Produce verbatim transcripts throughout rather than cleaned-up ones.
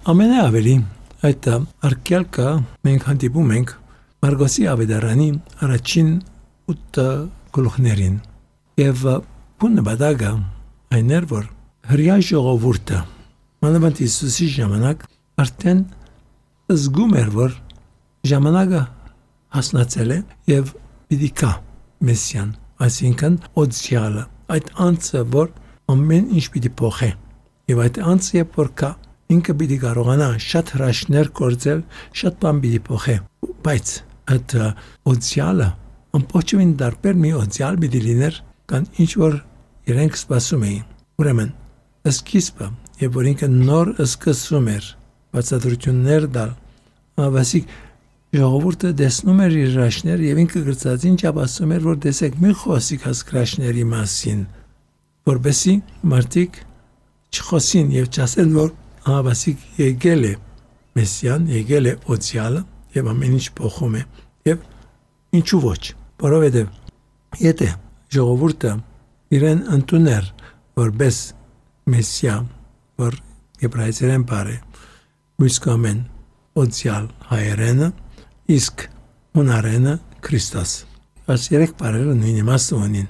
Ամենաավելի այդ արկելքը մենք հանդիպում ենք Մարգոսի ավետարանի առաջին ութ գլուխներին եւ բունը բադագա այն էր որ հրյա ժողովուրդը մանավանդ Հիսուսի ժամանակ արդեն զգում էր որ ժամանակը հասնացել է եւ պիտի կա Մեսիան, այսինքն օձյալը, այդ անձը որ ամեն ինչ պիտի փոխի եւ այդ անձը երբ որ կա ինքը պիտի կարողանա շատ հրաշքներ գործել, շատ բան պիտի փոխի, բայց այդ օձյալը ամբողջովին դարբեր մի օձյալ պիտի լիներ կան ինչ որ իրենք սպասում էին ուրեմն սկիզբը եւ որ ինքը նոր սկսում էր բացատրություններ տալ ավասիկ ժողովուրդը տեսնում էր իր հրաշքներ եւ ինքը գրծած ինչ ապասում էր որ տեսեք մի խոսիկ հասկրաշների մասին որբեսի մարդիկ չխոսին եւ չասեն որ ավասիկ եկել է Մեսիան եկել է օձյալը եւ ամեն ինչ փոխում է եւ ինչու ոչ որովհետեւ եթե ժողովուրդը իրեն ընդուներ որպես Մեսիա որ եբրայերեն բարե մուսկամեն օձյալ հայերենը իսկ հունարենը Քրիստոս այս երեք բարերը նույն իմաստը ունին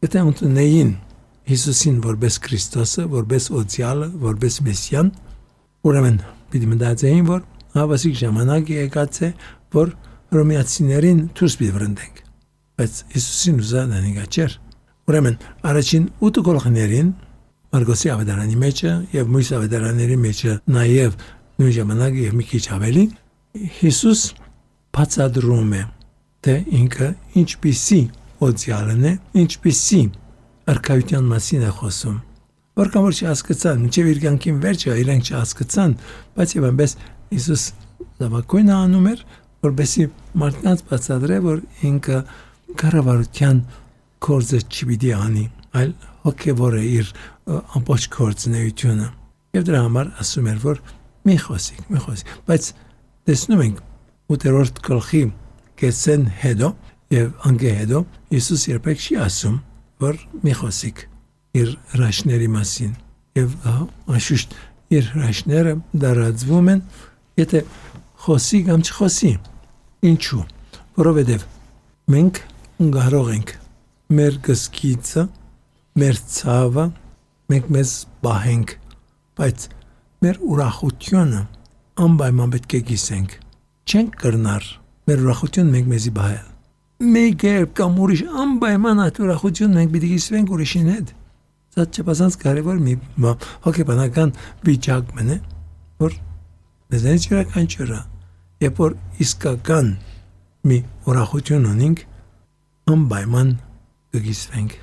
եթե ընդունեին Հիսուսին որպես Քրիստոսը որպես օձյալը որպես Մեսիան ուրեմն պիտի մտածեին որ հավասիկ ժամանակը եկած է որ հռոմեացիներին դուրս պիտի վրընդենք բայց Հիսուսին ուզանան իգաչեր ուրեմն առաջին ութ գլուխներին Մարգոսի ավետարանի մեջը եւ մյուս ավետարանների մեջը նաեւ նույն ժամանակը եւ մի քիչ ավելի Հիսուս բացատրում է թե ինքը ինչպիսի օձյալն է ինչպիսի արքայության մասին է խոսում որքան որ չհասկացան մինչեւ իր կյանքին վերջը իրենք չհասկացան բայց եւ այնպես Հիսուս լավակույնը անում էր որբեսի մարդկանց բացատրե որ ինքը կառավարության կորձը չպիտի անի այլ հոգևոր է իր ամբողջ կորձնեությունը եւ դրա համար ասում էր որ մի խոսիկ մի խոսիկ բայց տեսնում ենք ութերորդ գլխի կեսեն հետո եւ անգե հետո Հիսուս երբեք չի ասում որ մի խոսիկ իր հրաշքների մասին եւ անշուշտ իր հրաշքները դարածվում են եթե խոսի կամ չխոսի ինչու որովհետեւ մենք կարող ենք մեր գսկիցը մեր ցավը մենք մեզ բահենք բայց մեր ուրախությունը անպայման պետք է գիսենք չենք կրնար մեր ուրախությունը մենք մեզի բահել մեկ երբ կամ ուրիշ անպայման այդ ուրախությունը մենք պիտի գիսվենք ուրիշին հետ դա չափազանց կարևոր մի հոգեբանական վիճակ մնե որ մեզանից յուրաքանչյուրը երբ որ իսկական մի ուրախություն ունենք անպայման կգիսվենք